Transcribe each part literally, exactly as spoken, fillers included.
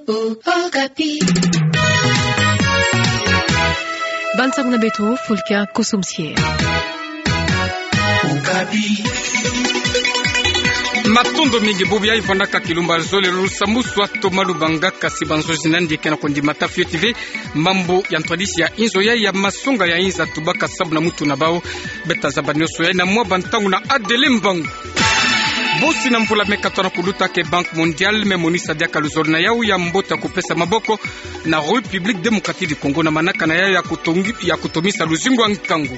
Okapi. Bansango na beto, Fulkia Kosomsie. Okapi. Matondo mingi. Bubu yai vwandaka kilumbu ya zole, lusambu swa Thomas Lubanga. Kasi banzonzi na yandi ke na kondimata fioti ve mambu ya ntwadisi ya inzo yai ya masonga ya inza, tubaka sambu na mutu na bau. Beta zaba nionso yai na mwa bantangu na Adele Mbangu. Bosi na mvula me katoto na kuluta ke Banque Mondiale me monisa diaka luzolo na yau ya mbote ya kupesa maboko na République Démocratique du Congo na manaka na yau ya kutongi-, ya kutomisa luzingu ya nkangu.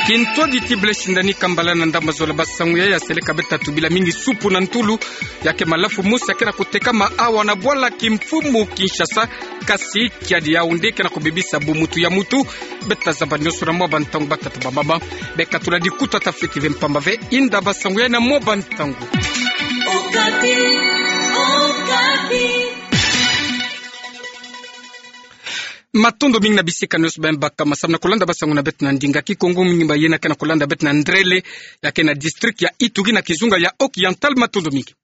Kintwadi ti Blaise Ndani Kambala na ndambu zola basangu yai ya seleka beta tubila mingi supu na ntulu, ya ke malafu mosi ya ke na kutekama awa na bwala kimfumu Kinshasa, kasi kiadi yau nde ke na kubebisa bumutu ya mutu. Beta zaba nionso na mwa bantangu, batata, bamama. Beka tula dikuta ta fioti ve mpamba ve inda basangu yai na mwa bantangu. Okapi, Okapi. Matondo mingi na bisika nionso beno baka masamu na kulanda basangu na beto na ndinga Kikongo, mingi ba yena ke na kulanda beto na ndrele, ya ke na district ya Ituri na kizunga ya Haut-Oriental. Matondo mingi.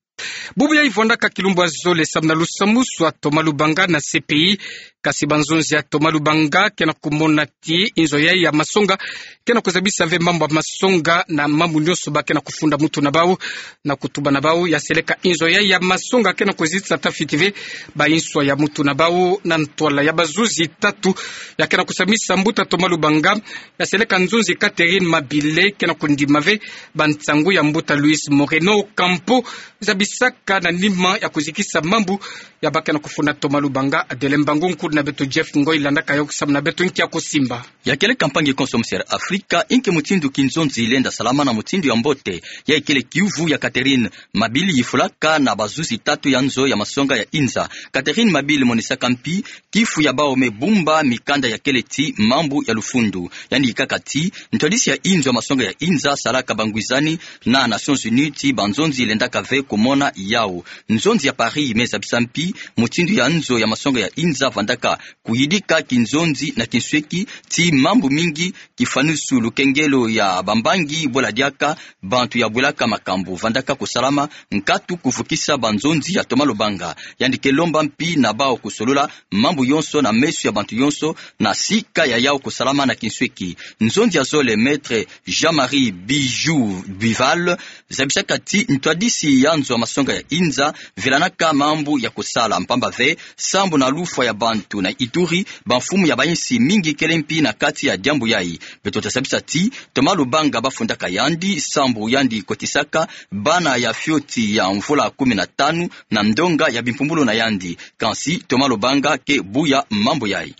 Bubu yai vwandaka kilumbu ya zole samu na lusambu swa Thomas Lubanga na C P I. Kasi banzonzi ya Thomas Lubanga ke na kumona ti inzo yai ya masonga ke na kuzabisa ve mambu ya masonga na mambu nionso ba ke na kufunda mutu na bau na kutuba na bau. Ya seleka inzo yai ya masonga ke na kuzitisa ta fioti ve ba inswa ya mutu na bau na ntwala ya bazuzi tatu. Ya ke na kusamisa mbuta Thomas Lubanga, ya seleka nzonzi Catherine Mabile, ke na kundima ve bansangu ya mbuta Luis Moreno Ocampo zabisaka na nima ya kuzikisa mambu ya ba ke na kufunda Thomas Lubanga. Adele Mbangu, nkutu na beto Jeff Ngoi, landaka yau samu na beto nki ya kusimba. Ya kele kampangi Kosomsie Afrika, inki mutindu kinzonzi lenda salama na mutindu ya mbote? Ya ikele kiuvu ya Catherine Mabile, yifulaka na bazuzi tatu ya nzo ya masonga ya inza. Catherine Mabile monisaka mpi kifu ya bau me bumba mikanda ya kele ti mambu ya lufundu. Yandi yikaka ti ntwadisi ya inzo ya masonga ya inza salaka bangwizani na Nations Unies ti banzonzi lendaka ve kumona yau. Nzonzi ya Paris me zabisa mpi mutindu ya nzo ya masonga ya inza vwandaka kuyidika kinzonzi na kinsweki ti mambu mingi, kifwanusu lukengelo ya bambangi, bwela diaka bantu ya bwelaka makambu. Vwandaka kusalama nkatu kuvukisa banzonzi ya Thomas Lubanga. Yandi ke lomba mpi na bau kusolola mambu yonso na meso ya bantu yonso na sika ya yau kusalama na kinsweki. Nzonzi ya zole, Maître Jean-Marie Bijou Bival, zabisaka ti ntwadisi ya nzo ya masonga ya inza velanaka mambu ya kusala mpamba ve sambu na lufwa ya bantu na Ituri, bamfumu ya bainsi mingi kele mpi na kati ya diambu yai. Beto ta zabisa ti Thomas Lubanga bafundaka yandi sambu yandi kotisaka bana ya fioti ya mvula kumi na tanu na ndonga ya bimpumbulu na yandi. Kansi Thomas Lubanga ke buya mambu yai.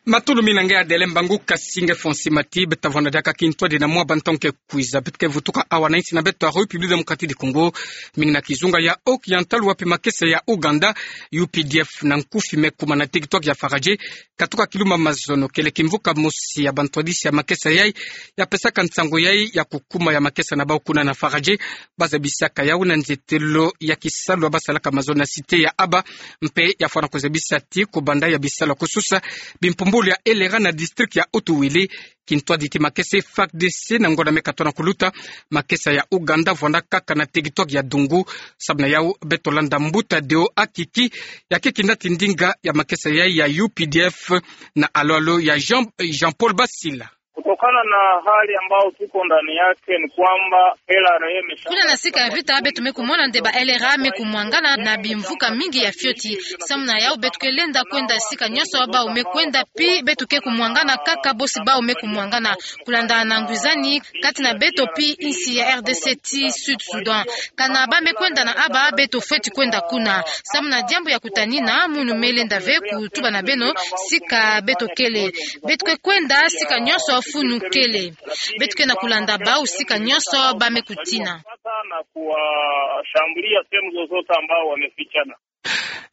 Matondo mingi na nge Adele Mbangu. Kasi nge Fonsi Mati, beta vwanda diaka kintwadi na mwa bantangu ke kwiza. Beto ke vutuka awa na insi na beto ya République Démocratique du Congo, mingi na kizunga ya Haut-Oriental, wapi makesa ya Ouganda, U P D F na nkufi me kuma na teritware ya Faradje. Katuka kilumbu ya mazono, kele kimvuka mosi ya bantwadisi ya makesa yai ya pesaka nsangu yai ya kukuma ya makesa na bau kuna na Faradje, ba zabisaka yau na nzietelo ya kisalu ya ba salaka mazono na cité ya Aba, mpe ya fwana kuzabisa ti kubanda ya bisalu ya kususa bimpumbulu ya L R A na district ya Haut-Uele, kintwadi ti makesa F A R D C na ngonda me katoto na kuluta, makesa ya Ouganda vwanda kaka na teritware ya Dungu. Samu na yau beto landa mbuta Deo Akiki, ya ke kinati ndinga ya makesa yai ya U P D F na alo-alo ya Jean, Jean-Paul Basila. Kutokana na hali ambayo tuko ndani yake ni kwamba L R A imesha- Kuna na sika ya vita, beto me kumona nde ba L R A me kumwangana na bimvuka mingi ya fioti. Samu na yau beto ke lenda kwenda sika nyonso bau me kwenda, pi beto ke kumwangana kaka bosi bau me kumwangana. Kulanda na ngwizani kati na beto pi insi ya R D C ti Sud Soudan. Kana ba me kwenda na Aba, beto fweti kwenda kuna. Samu na diambu ya kutanina, munu me lenda ve kutuba na beno sika beto kele. Beto ke kwenda sika nyonso funu kele. Beto ke na kulanda bau sika nyonso ba me kutina. Na kuwashambulia sehemu zozote ambao wamefichana.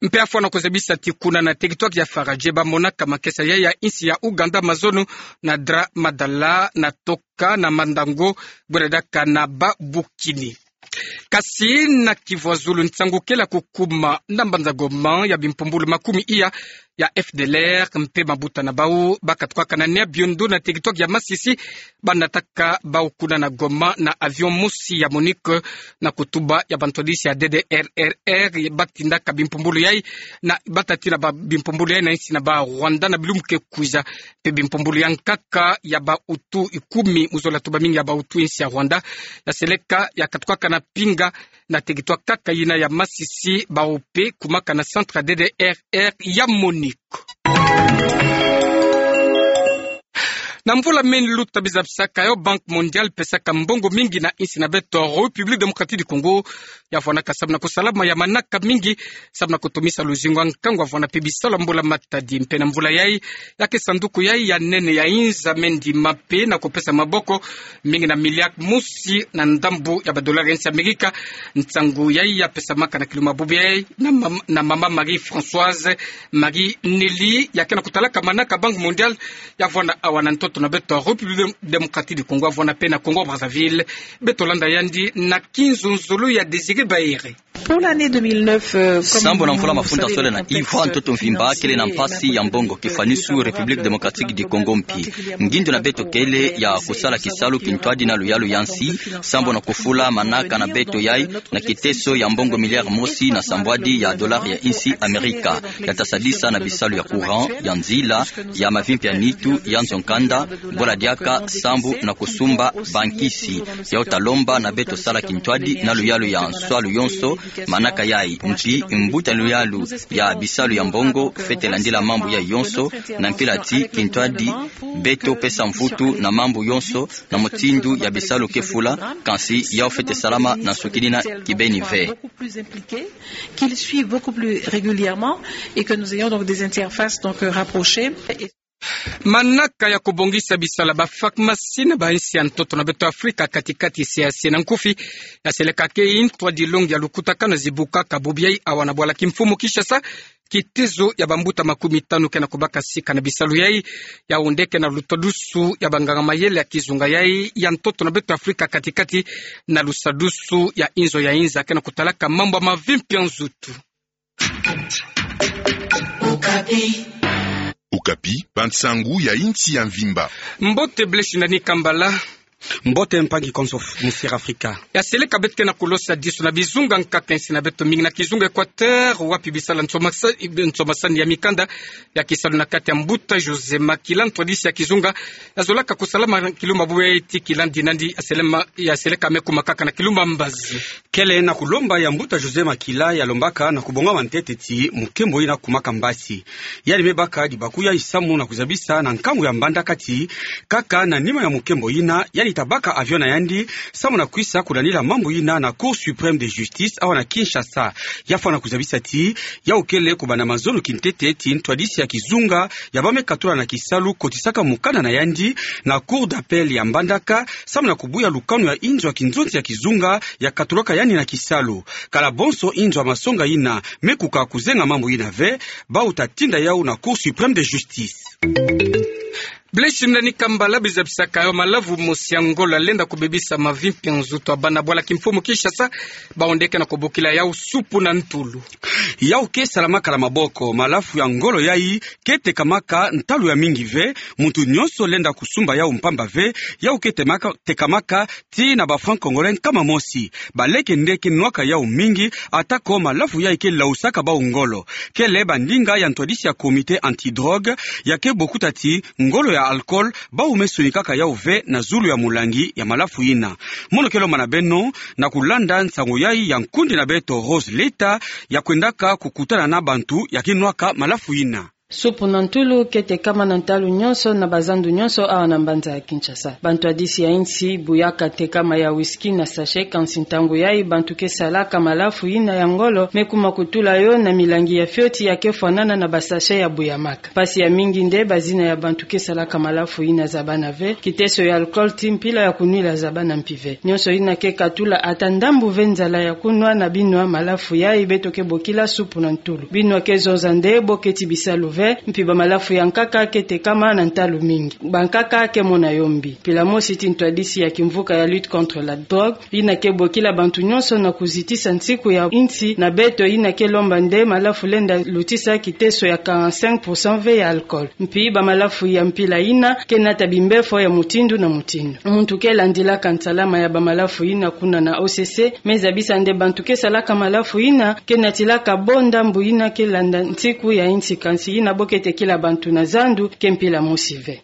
Mpe ya fwana kuzabisa ti kuna na teritware ya Faradje ba monaka makesa yai ya insi ya Ouganda mazono na Dra Madala, na Toka, na Mandango, bwera diaka na Babukini. Kasi na Kivu ya Zulu, nsangu kele ya kukuma na mbanza Goma ya bimpumbulu makumi iya ya F D L R mpe mabuta na bau bakatukaka na nia biondo na tekitwaki ya Masisi, banataka bau kuna na Goma na avion mosi ya MONUC na kutuba ya bantwadisi ya D D R R R, batindaka bimpumbulu yai na batatina ba bimpumbulu yai na insi na ba Rwanda na bilumbu ke kwiza. Mpe bimpumbulu ya nkaka ya bautu ikumi mu zola tuba mingi ya bautu insi ya Rwanda yaseleka yakatukaka na pinga na tekitwaki kaka yina ya Masisi, bau mpe kumaka na centre ya D D R R ya MONUC. Na mvula meni luta, bizabisaka yo Banque Mondiale pesaka mbongo mingi na insi na beto République Démocratique du Congo, ya vwanaka samu na kusalama ya manaka mingi, samu na kutumisa luzingu ya nkangu, ya vwana mpe bisalu ya mbula matadi. Mpe na mvula yai, ya ke sanduku yai ya nene ya inza mendi mape na kupesa maboko mingi na milliard mosi na ndambu ya ba dollar ya insi Amerika. Nsangu yai ya pesamaka na kilumbu bubu yai na mam-, na mama Marie-Françoise Marie Nelly, ya ke na kutalaka manaka Banque Mondiale, ya vwana awa na ntoto na beto République Démocratique du Congo, ya vwana mpe na Congo Brazzaville. Beto landa yandi na kinzonzolo ya Désiré Baere. Pour l'année deux mille neuf, euh, comme... Sambu na mvula mafuta sole na iva, ntoto mvimba kele na mpasi ya mbongo kifwani su République Démocratique du Congo mpi. Ngindu na beto kele ya kusala kisalu kintwadi na luyalu ya nsi, sambu na kufula manaka na beto yai na kiteso ya mbongo milliard mosi na sambwadi ya dollar ya insi Amerika, ya ta sadisa na bisalu ya courant, ya nzila, ya mavimpi ya nitu, ya nzo-nkanda, bola diaka, sambu na kusumba bankisi. Yau ta lomba na beto sala kintwadi na luyalu ya nswalu yonso manaka yai. Mpi mbuta luyalu ya bisalu ya mbongo fwete landila mambu yai yonso, na mpila ti kintwadi beto pesa mvutu na mambu yonso na mutindu ya bisalu ke fula, kansi yau fwete salama na nsukini na kibeni ve. Beaucoup plus impliqués, qu'ils suivent beaucoup plus régulièrement et que nous ayons donc des interfaces donc, euh, rapprochées. Manaka ya kubongisa bisalu ya ba pharmacie na ba insi ya ntoto na beto Afrika kati-kati, siasi na nkufi, yaseleka ke ntwadi longi ya lukutakanu zibukaka bubu yai awa na bwala kimfumu Kinshasa. Kitezo ya bambuta makumi tanu ke na kubaka sika na bisalu yai, ya onde ke na lutadusu ya banganga-mayele ya kizunga yai ya ntoto na beto Afrika kati-kati, na lusadusu ya inzo ya inza ke na kutalaka mambu ya mavimpi ya nzutu. Okapi, bansangu ya insi ya mvimba. Mbote Blaise Ndani Kambala. Mbote mpangi konso Monsieur Afrika. Yaseleka beto ke na kulosa disu na bizunga nkaka insi na beto, mingi na kizunga Équateur, wapi bisalu ya nsomasa-, nsomasani ya mikanda ya kisalu na kati ya mbuta José Makila, ntwadisi ya kizunga, yazolaka kusalama kilumbu bubu yai ti kilandi nandi, yaselema-, yaseleka me kuma kaka na kilumbu mbazi. Kele na kulomba ya mbuta José Makila, yalombaka na kubongama ntete ti mukembo yina kumaka mbasi. Yandi me baka dibaku yai samu na kuzabisa na nkangu ya mbandaka ti, kaka na nima ya mukembo yina, yandi ta baka avion na yandi samu na kwisa kulandila mambu yina na Cour suprême de justice awa na Kinshasa. Ya fwana kuzabisa ti, yau kele kubanda mazono kintete ti ntwadisi ya kizunga ya ba me katula na kisalu kotisaka mukanda na yandi na Cour d'appel ya mbandaka samu na kubuya lukanu ya inzo ya kinzonzi ya kizunga ya katulaka yandi na kisalu. Kala bonso inzo ya masonga yina me kuka kuzenga mambu yina ve, bau ta tinda yau na Cour suprême de justice. Blaise Ndani Kambala, bizabisaka yo malavu mosi ya ngolo yalenda kubebisa mavimpi ya nzutu ya bana bwala kimfumu Kinshasa, ba onde ke na kubokila yau supu na ntulu. Yau ke salamaka na maboko, malavu ya ngolo yai ke tekamaka ntalu ya mingi ve, muntu nyonso lenda kusumba yau mpamba ve, yau ke temaka-, tekamaka ti na ba francs congolais nkama mosi. Baleke nde ke nwaka yau mingi, atako malavu yai ke lausaka bau ngolo. Kele bandinga ya ntwadisi ya Comité anti-drogue ya ke bokuta ti ngolo ya alcool bau me sonikaka yau ve na zulu ya mulangi ya malavu yina. Mono ke lomba na beno na kulanda nsangu yai ya nkundi na beto Rose Leta, ya kwendaka kukutana na bantu ya ke nwaka malavu yina. Supu na ntulu ke tekama na ntalu nyonso na bazandu nyonso awa na mbanza ya Kinshasa. Bantwadisi ya insi buyaka tekama ya whisky na sachet, kansi ntangu yai bantu ke salaka malavu yina ya ngolo me kuma kutula yo na milangi ya fioti ya ke fwanana na ba sachet ya buyamaka. Mpasi ya mingi nde bazina ya bantu ke salaka malavu yina zabana ve, kiteso ya alcool ti mpila ya kunwila zabana mpi ve. Nyonso yina ke katula ata ndambu ve nzala ya kunwa na binwa malavu yai beto ke bokila supu na ntulu. Binwa ke zonza nde boketi bisalu ve, mpe bamalafu ya nkaka ke tekama na ntalu mingi. Bankaka ke mona yo mbi. Mpila mosi ti ntwadisi ya kimvuka ya lutte contre la drogue, yina ke bokila bantu nyonso na kuzitisa nsiku ya insi na beto, yina ke lomba nde malafu lenda lutisa kiteso ya quarante-cinq pour cent ve ya alcool. Mpi bamalafu ya mpila yina ke nata bimbefo ya mutindu na mutindu. Muntu ke landilaka nsalama ya bamalafu yina kuna na O C C me zabisa nde bantu ke salaka malafu yina ke natilaka bo ndambu yina ke landa nsiku ya insi, kansi yina bo ke tekila bantu na zandu ke mpila mosi ve.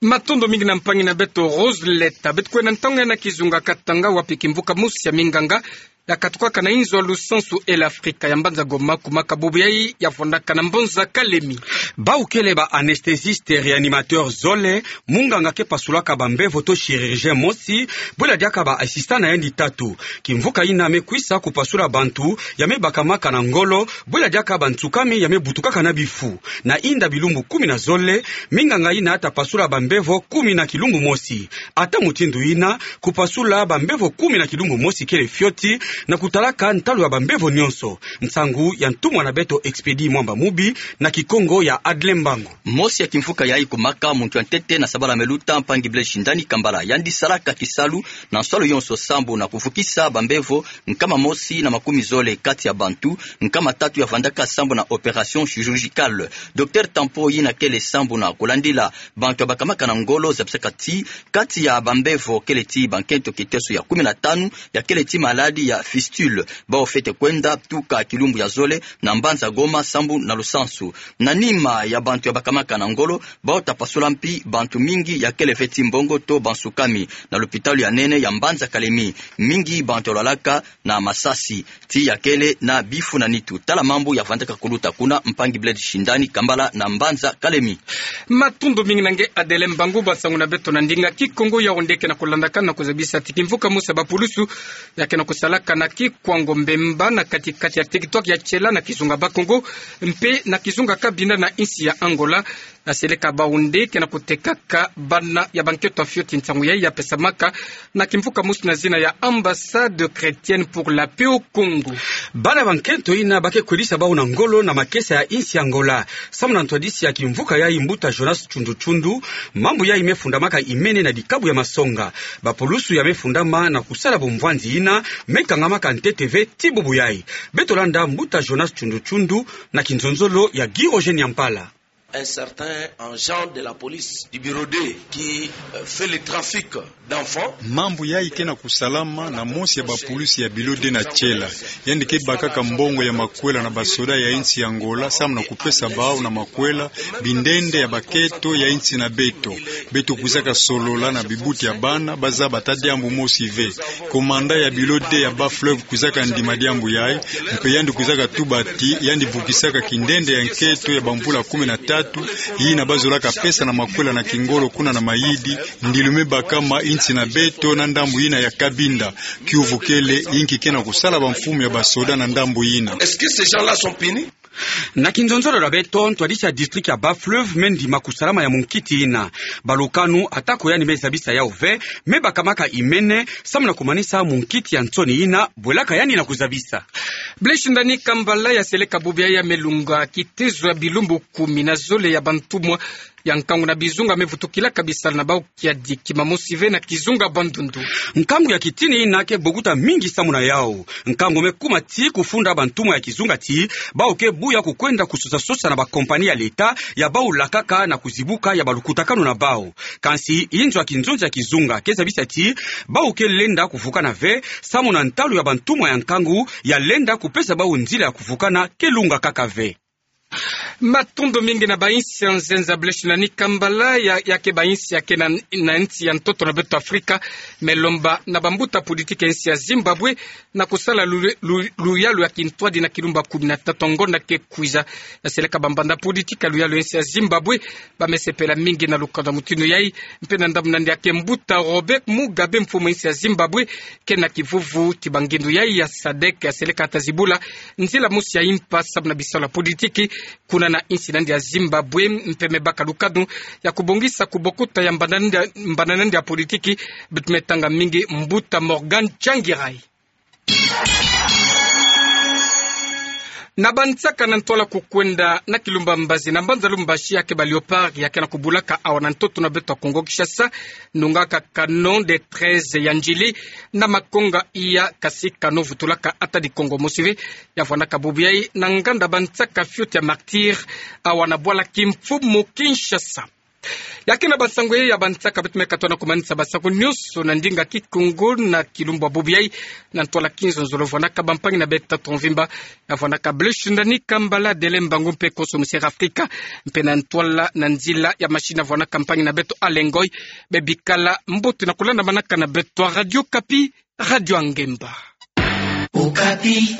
Matondo mingi na mpangi na beto Rose Leta. Beto kwenda ntangu ya na kizunga Katanga, wapi kimvuka mosi ya minganga yakatukaka na inzo ya lusansu El Afrika ya mbanza Goma, kumaka bubu yayi ya vwandaka na mbanza Kalemi. Bawu kele ba anesthésiste réanimateur zole, munganga ke pasulaka bambevo to chirurgien mosi, bwela diaka ba assistant na yandi tatu. Kimvuka yina me kwisa kupasula bantu ya me bakamaka na ngolo, bwela diaka bantsukami ya me butukaka na bifu. Na inda bilumbu kumi na zole, minganga yina ta pasula bambevo kumi na kilumbu mosi. Ata mutindu yina, kupasula bambevo kumi na kilumbu mosi kele fioti, na kutalaka ntalu ya bambevo nyonso. Nsangu ya ntumwa na beto Expédit Mwamba Mubi, na Kikongo ya Adle Mbangu. Mosi ya kimvuka yayi kumaka muntu ya ntete na sabala me luta, mpangi Blaise Shindani Kambala. Yandi salaka kisalu na nsolo yonso sambu na kuvukisa bambevo nkama mosi na makumi zole kati ya bantu, nkama tatu ya vwandaka sambu na opération chirurgicale. Docteur Tampo, yina kele sambu na kulandila bantu ya bakamaka na ngolo, zabisaka ti kati ya bambevo kele ti bankento kiteso ya kumi na tanu ya kele ti maladi ya fistule. Bawu fwete kwenda tuka kilumbu ya zole na mbanza Goma sambu na lusansu. Na nima ya bantu ya bakamaka na ngolo, bawu ta pasula mpi bantu mingi ya kele ve ti mbongo to bansukami na lopitalo ya nene ya mbanza Kalemi. Mingi bantu ya lwalaka na masasi, ti ya kele na bifu na nitu. Tala mambu ya vwandaka kuluta kuna, mpangi Blaise Shindani Kambala na mbanza Kalemi. Matondo mingi na nge Adele Mbangu. Bansangu na beto na ndinga Kikongo, Yaoundé ke na kulandaka na kuzabisa ti kimvuka mosi ya bapulusu ya ke na kusalaka na Kikwango Mbemba, na kati-kati ya territoire ya Tshela na kizunga Bakongo mpe na kizunga Cabinda na insi ya Angola, ya seleka Baoundé ke na kutekaka bana ya bankento ya fioti. Nsangu yayi ya pesamaka na kimvuka mosi na zina ya Ambassade chrétienne pour la paix au Congo. Bana bankento yina ba ke kwelisa bawu na ngolo na makesa ya insi ya Angola. Samu na ntwadisi ya kimvuka yayi, mbuta Jonas Tshundu Tshundu, mambu yayi me fundamaka imene na dikabu ya masonga. Bapulusu ya me fundama na kusala bumvwanzi yina me kangamaka ntete ve ti bubu yayi. Beto landa mbuta Jonas Tshundu Tshundu na kinzonzolo ya Guy Roger Nyampala. Un certain agent de la police du bureau deux qui, euh, fait le trafic d'enfants. Mambu yayi ke na kusalama na mosi ya bapulusu ya bureau deux na Tshela. Yandi ke bakaka mbongo ya makwela na basoda ya insi ya Angola, samu na kupesa bawu na makwela bindende ya bankento ya insi na beto. Beto kwizaka solola na bibuti ya bana, ba zaba ata diambu mosi ve. Commandant ya bureau deux ya Bas-Fleuve kwizaka ndima diambu yayi, mpe yandi kwizaka tuba ti yandi vukisaka kindende ya nkento ya bamvula kumi na tatu, yina ba zolaka pesa na makwela na kingolo kuna na Mayidi, ndilu me bakama insi na beto na ndambu yina ya Cabinda. Kiuvu kele, inki ke na kusala bamfumu ya basoda na ndambu yina? Est-ce que ces gens-là sont punis? Na kinzonzolo ya beto, ntwadisi ya district ya Bas-Fleuve me ndima kusalama ya munkiti yina. Balukanu, atako yandi me zabisa yawu ve, me bakamaka imene, samu na kumanisa munkiti ya nsoni yina bwelaka yandi na kuzabisa. Blaise Shindani Kambala, ya seleka bubu yayi ya me lunga kitezo ya bilumbu kumi na zole ya bantumwa ya nkangu na bizunga me vutukilaka bisalu na bawu kiadi, kima mosi ve na kizunga Bandundu. Nkangu ya kitini yina ke bokuta mingi samu na yawu. Nkangu me kuma ti kufunda bantumwa ya kizunga ti bawu ke buya kukwenda kusosa-sosa na bakompani ya leta ya bawu lakaka na kuzibuka ya balukutakanu na bawu. Kansi inzo ya kinzonzi ya kizunga ke zabisa ti bawu ke lenda kuvukana ve, samu na ntalu ya bantumwa ya nkangu ya lenda kupesa bawu nzila ya kuvukana ke lunga kaka ve. Matondo mingi na bainsi ya nzenza. Blaise Shindani Kambala, ya, ya ke bainsi ya ke na, na nsi ya ntoto na beto Afrika, me lomba na bambuta politiki ya nsi ya Zimbabwe na kusala lu-, lu-, luyalu ya kintwadi na kilumbu kumi na tatu ngonda ke kwiza. Ya seleka bambanda politiki ya luyalu ya nsi ya Zimbabwe, ba me sepela mingi na lukanda mutindu yayi, mpe na ndambu na nde ya ke mbuta Robert Mugabe, mfumu ya nsi ya Zimbabwe, ke na kivuvu ti bangindu yayi ya sadek, ya seleka ta zibula nzila mosi ya impa samu na bisalu ya politiki kuna na insi na nde ya Zimbabwe, mpe me baka lukanu ya kubongisa kubokuta ya mbanda na nde, mbanda na nde ya politiki. Beto me tanga mingi mbuta Morgan Tsvangirai. Na bansaka na ntwala kukwenda na kilumba mbazi na mbanza Lubumbashi, ya ke ba Léopards ya ke na kubulaka awa na ntoto na beto Kongo Kinshasa, nungaka canon de treize ya njili na makonga iya kasi canon vutulaka ata di kongo mosi ve. Ya vwanaka bubu yayi na nganda bansaka fioti ya Martyrs, awa na bwala Kimfumu Kinshasa. Ya ke na bansangu ya bansaka, beto me katoa na kumanisa bansangu nyonso na ndinga Kikongo na kilumbu ya bubu yayi. Na ntwala kinzonzolo, vwanaka bampangi na beto tata mvimba, ya vwanaka Blaise Shindani Kambala, Dele Mbangu mpe Koso Musera Afrika, mpe na ntwala na nzila ya machine vwanaka mpangi na beto Alain Ngoy. Be bikala mbote na kulandamanaka na beto. Radio Okapi, radio ya ngemba. Okapi.